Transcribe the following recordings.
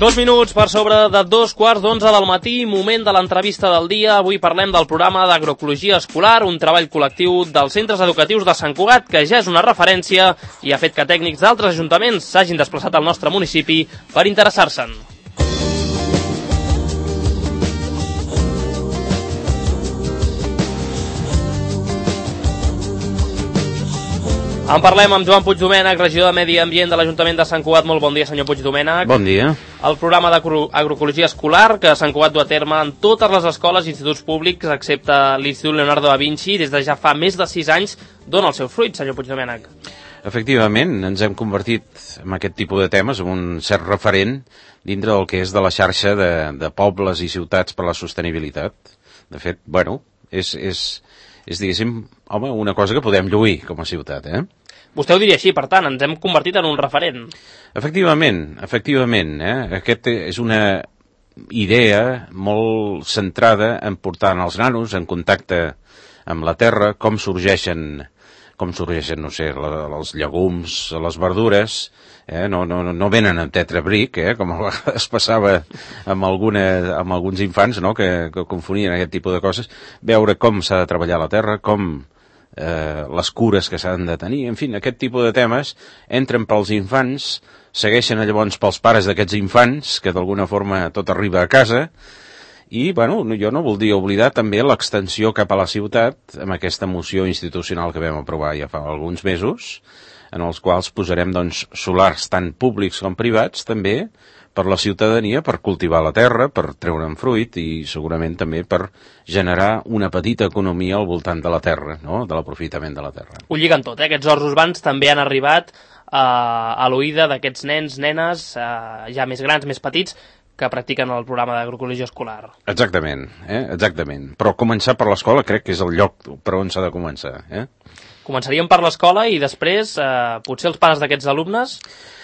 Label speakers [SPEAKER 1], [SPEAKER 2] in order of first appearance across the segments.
[SPEAKER 1] 2 minuts per sobre de 2:15 del matí, moment de l'entrevista del dia. Avui parlem del programa d'agroecologia escolar, un treball col·lectiu dels centres educatius de Sant Cugat, que ja és una referència i ha fet que tècnics d'altres ajuntaments s'hagin desplaçat al nostre municipi per interessar-se'n. En parlem amb Joan Puigdomènech, regidor de Medi Ambient de l'Ajuntament de Sant Cugat. Molt bon dia, senyor Puigdomènech.
[SPEAKER 2] Bon dia.
[SPEAKER 1] El programa d'agroecologia escolar que Sant Cugat du a terme en totes les escoles i instituts públics, excepte l'Institut Leonardo da Vinci, des de ja fa més de 6 anys, dona el seu fruit, senyor Puigdomènech.
[SPEAKER 2] Efectivament, ens hem convertit en aquest tipus de temes en un cert referent dintre del que és de la xarxa de pobles i ciutats per la sostenibilitat. De fet, bueno, és diguéssim, home, una cosa que podem lluir com a ciutat,
[SPEAKER 1] Vostè ho diria així, per tant, ens hem convertit en un referent.
[SPEAKER 2] Efectivament, Aquesta és una idea molt centrada en portar els nanos en contacte amb la terra, com sorgeixen, no sé, els llegums, les verdures, no venen en tetrabric, com a vegades passava amb alguns infants, no?, que confonien aquest tipus de coses. Veure com s'ha de treballar la terra, com les cures que s'han de tenir, en fi, aquest tipus de temes entren pels infants, segueixen llavors pels pares d'aquests infants, que d'alguna forma tot arriba a casa, i, bueno, jo no voldria oblidar també l'extensió cap a la ciutat amb aquesta moció institucional que vam aprovar ja fa alguns mesos, en els quals posarem, doncs, solars tant públics com privats, també, per la ciutadania, per cultivar la terra, per treure'n fruit i segurament també per generar una petita economia al voltant de la terra, no?, de l'aprofitament de la terra.
[SPEAKER 1] Ho lliguen tot, Aquests horts urbans també han arribat a l'oïda d'aquests nens, nenes, ja més grans, més petits, que practiquen el programa d'agroecologia escolar.
[SPEAKER 2] Exactament, exactament. Però començar per l'escola crec que és el lloc per on s'ha de començar,
[SPEAKER 1] Començaríem per l'escola i després potser els pares d'aquests alumnes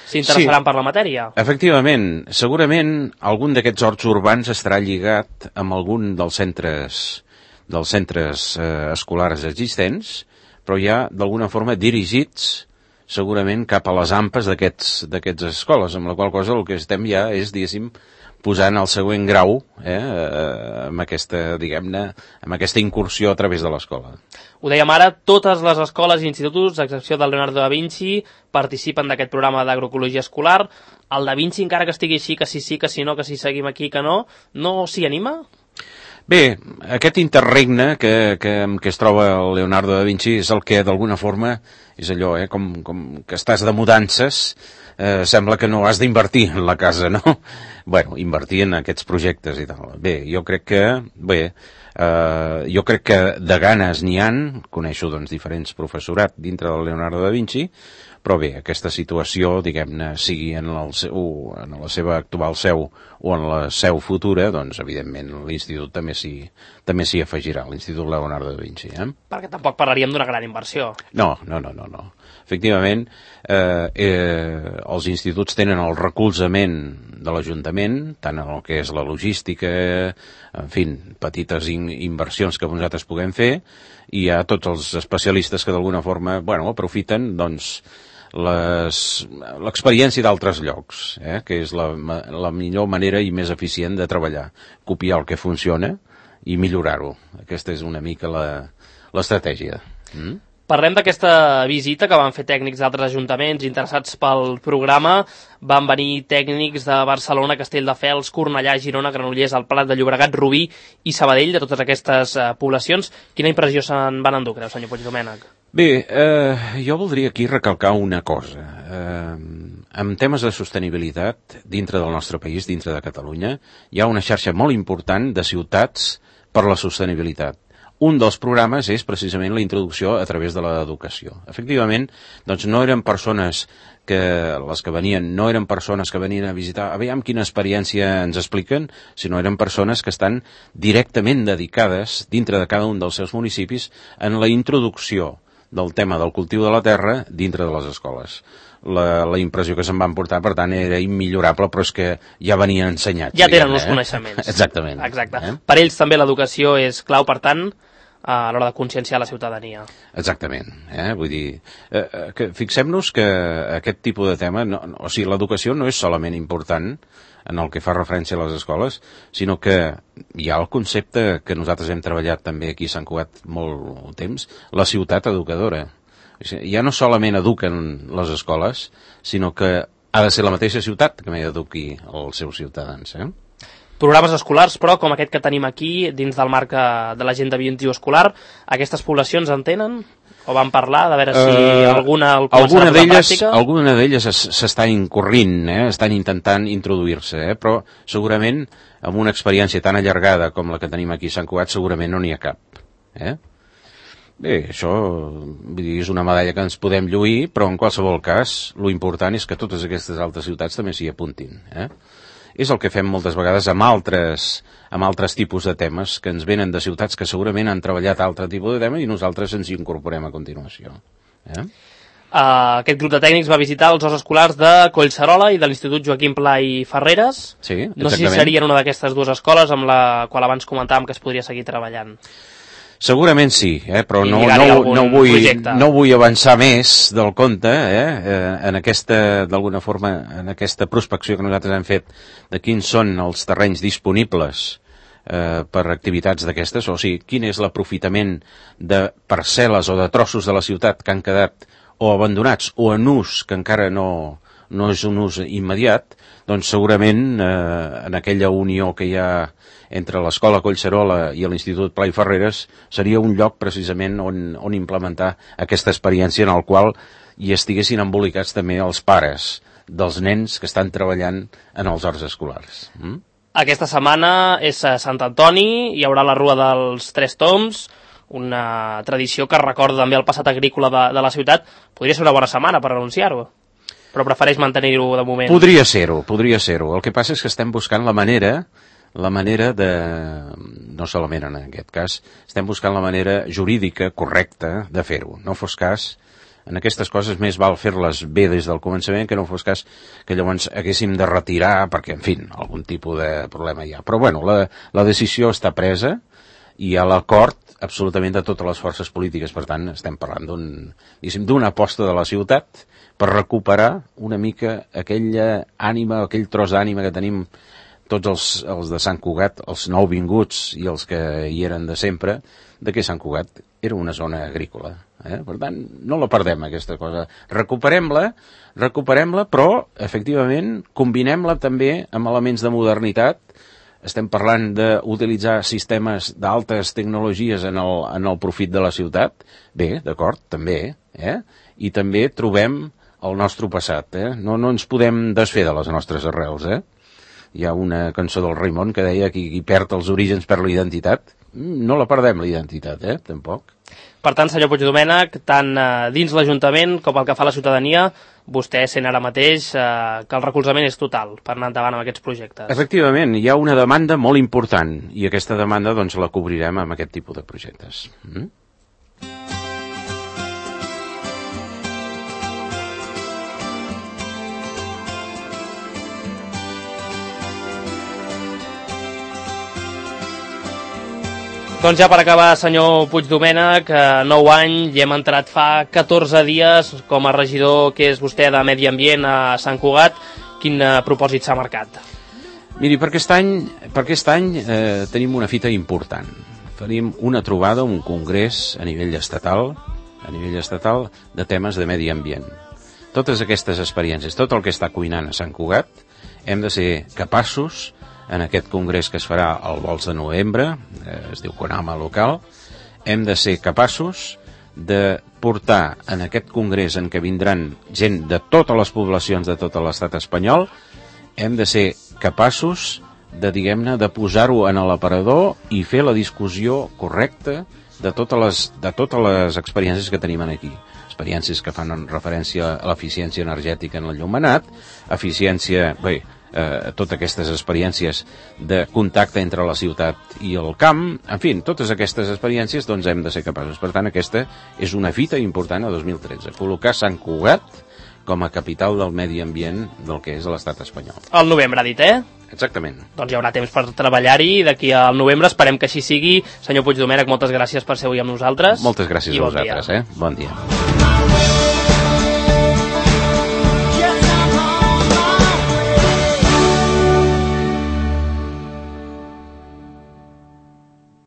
[SPEAKER 1] s'interessaran per la matèria.
[SPEAKER 2] Efectivament, segurament algun d'aquests horts urbans estarà lligat amb algun dels centres escolars existents, però ja d'alguna forma dirigits segurament cap a les ampes d'aquests escoles, amb la qual cosa el que estem ja és, diguéssim, posant el següent grau amb aquesta, diguem-ne, amb aquesta incursió a través de l'escola.
[SPEAKER 1] Ho dèiem ara, totes les escoles i instituts, a excepció del Leonardo da Vinci, participen d'aquest programa d'agroecologia escolar. El da Vinci, encara que estigui així, que sí, que si no, que si seguim aquí, que no s'hi anima?
[SPEAKER 2] Bé, aquest interregne que es troba el Leonardo da Vinci és el que d'alguna forma és allò, com que estàs de mudances, sembla que no has d'invertir en la casa, no? Bueno, invertir en aquests projectes i tal. Bé, jo crec que de ganes n'hi han, coneixo doncs diferents professorat dintre del Leonardo da Vinci, però bé, aquesta situació, diguem-ne, sigui en la seva actual seu o en la seu futura, doncs evidentment l'institut també s'hi afegirà, l'Institut Leonardo da Vinci.
[SPEAKER 1] Perquè tampoc parlaríem d'una gran inversió.
[SPEAKER 2] No. Efectivament, els instituts tenen el recolzament de l'Ajuntament, tant en el que és la logística, en fi, petites inversions que nosaltres puguem fer, i hi ha tots els especialistes que d'alguna forma, aprofiten, doncs, l'experiència d'altres llocs, que és la millor manera i més eficient de treballar, copiar el que funciona i millorar-ho. Aquesta és una mica l'estratègia.
[SPEAKER 1] Parlem d'aquesta visita que van fer tècnics d'altres ajuntaments interessats pel programa. Van venir tècnics de Barcelona, Castelldefels, Cornellà, Girona, Granollers, el Prat de Llobregat, Rubí i Sabadell, de totes aquestes poblacions. Quina impressió se'n van endur, creu, senyor Puigdomènech?
[SPEAKER 2] Bé, jo voldria aquí recalcar una cosa. En temes de sostenibilitat, dintre del nostre país, dintre de Catalunya, hi ha una xarxa molt important de ciutats per la sostenibilitat. Un dels programes és precisament la introducció a través de l'educació. Efectivament, doncs no eren persones les que venien, no eren persones que venien a visitar, aviam quina experiència ens expliquen, sinó eren persones que estan directament dedicades, dintre de cada un dels seus municipis, en la introducció del tema del cultiu de la terra dintre de les escoles. La impressió que se'n van portar, per tant, era immillorable, però és que ja venien ensenyats.
[SPEAKER 1] Ja tenen uns coneixements.
[SPEAKER 2] Exactament.
[SPEAKER 1] Exacte. Per ells també l'educació és clau, per tant, a l'hora de conscienciar la ciutadania.
[SPEAKER 2] Exactament. Vull dir, que fixem-nos que aquest tipus de tema, o sigui, l'educació no és solament important en el que fa referència a les escoles, sinó que hi ha el concepte que nosaltres hem treballat també aquí a Sant Cugat molt temps, la ciutat educadora. Ja no solament eduquen les escoles, sinó que ha de ser la mateixa ciutat que m'eduqui els seus ciutadans.
[SPEAKER 1] Programes escolars, però, com aquest que tenim aquí, dins del marc de l'Agenda 21 escolar, aquestes poblacions en tenen? O van parlar de veure si alguna el començarà a posar en pràctica?
[SPEAKER 2] Alguna d'elles s'està incorrint, estan intentant introduir-se, però segurament amb una experiència tan allargada com la que tenim aquí a Sant Cugat segurament no n'hi ha cap. Bé, això vull dir, és una medalla que ens podem lluir, però en qualsevol cas lo important és que totes aquestes altres ciutats també s'hi apuntin. És el que fem moltes vegades amb altres tipus de temes que ens venen de ciutats que segurament han treballat altre tipus de temes i nosaltres ens hi incorporem a continuació.
[SPEAKER 1] Aquest grup de tècnics va visitar els horts escolars de Collserola i de l'Institut Joaquim Pla i Ferreres.
[SPEAKER 2] Sí, exactament.
[SPEAKER 1] No sé si serien una d'aquestes dues escoles amb la qual abans comentàvem que es podria seguir treballant.
[SPEAKER 2] Segurament sí, però no vull avançar més del compte en aquesta, d'alguna forma, en aquesta prospecció que nosaltres hem fet de quins són els terrenys disponibles per activitats d'aquestes, o sigui, quin és l'aprofitament de parcel·les o de trossos de la ciutat que han quedat o abandonats o en ús que encara no és un ús immediat, doncs segurament en aquella unió que hi ha entre l'Escola Collserola i l'Institut Pla i Ferreres seria un lloc precisament on implementar aquesta experiència en el qual hi estiguessin embolicats també els pares dels nens que estan treballant en els horts escolars.
[SPEAKER 1] Aquesta setmana és a Sant Antoni, hi haurà la Rua dels Tres Tombs, una tradició que recorda també el passat agrícola de la ciutat. Podria ser una bona setmana per anunciar-ho, però prefereix mantenir-ho de moment.
[SPEAKER 2] Podria ser-ho. El que passa és que estem buscant la manera de, no solament en aquest cas, estem buscant la manera jurídica correcta de fer-ho. No fos cas, en aquestes coses més val fer-les bé des del començament que no fos cas que llavors haguéssim de retirar perquè, en fi, algun tipus de problema hi ha. Però bueno, la decisió està presa i hi ha l'acord absolutament de totes les forces polítiques. Per tant, estem parlant d'una aposta de la ciutat per recuperar una mica aquella ànima, aquell tros d'ànima que tenim tots els de Sant Cugat, els nouvinguts i els que hi eren de sempre, de que Sant Cugat era una zona agrícola. Per tant, no la perdem, aquesta cosa. Recuperem-la, però, efectivament, combinem-la també amb elements de modernitat. Estem parlant d'utilitzar sistemes d'altes tecnologies en el profit de la ciutat. Bé, d'acord, també. I també trobem el nostre passat. No ens podem desfer de les nostres arrels. Hi ha una cançó del Raimon que deia que qui perd els orígens perd la identitat. No la perdem, la identitat, tampoc.
[SPEAKER 1] Per tant, senyor Puigdomènech, tant dins l'Ajuntament com el que fa la ciutadania, vostè sent ara mateix que el recolzament és total per anar endavant amb aquests projectes.
[SPEAKER 2] Efectivament, hi ha una demanda molt important i aquesta demanda doncs la cobrirem amb aquest tipus de projectes.
[SPEAKER 1] Doncs ja per acabar, senyor Puigdomènech, 9 anys i hem entrat fa 14 dies com a regidor que és vostè de Medi Ambient a Sant Cugat. Quin propòsit s'ha marcat?
[SPEAKER 2] Miri, per aquest any tenim una fita important. Tenim una trobada, un congrés a nivell estatal de temes de medi ambient. Totes aquestes experiències, tot el que està cuinant a Sant Cugat, hem de ser capaços en aquest congrés que es farà el vols de novembre, es diu Conama local, hem de ser capaços de portar en aquest congrés en què vindran gent de totes les poblacions de tot l'estat espanyol, hem de ser capaços de, diguem-ne, de posar-ho en l'aparador i fer la discussió correcta de totes les experiències que tenim aquí. Experiències que fan referència a l'eficiència energètica en l'enllumenat, totes aquestes experiències de contacte entre la ciutat i el camp, en fi, totes aquestes experiències doncs hem de ser capaços. Per tant, aquesta és una fita important a 2013, col·locar Sant Cugat com a capital del medi ambient del que és l'estat espanyol.
[SPEAKER 1] Al novembre, ha dit,
[SPEAKER 2] Exactament.
[SPEAKER 1] Doncs hi haurà temps per treballar-hi, d'aquí al novembre esperem que així sigui. Senyor Puigdomènech, moltes gràcies per ser avui amb nosaltres.
[SPEAKER 2] Moltes gràcies a vosaltres, Bon dia.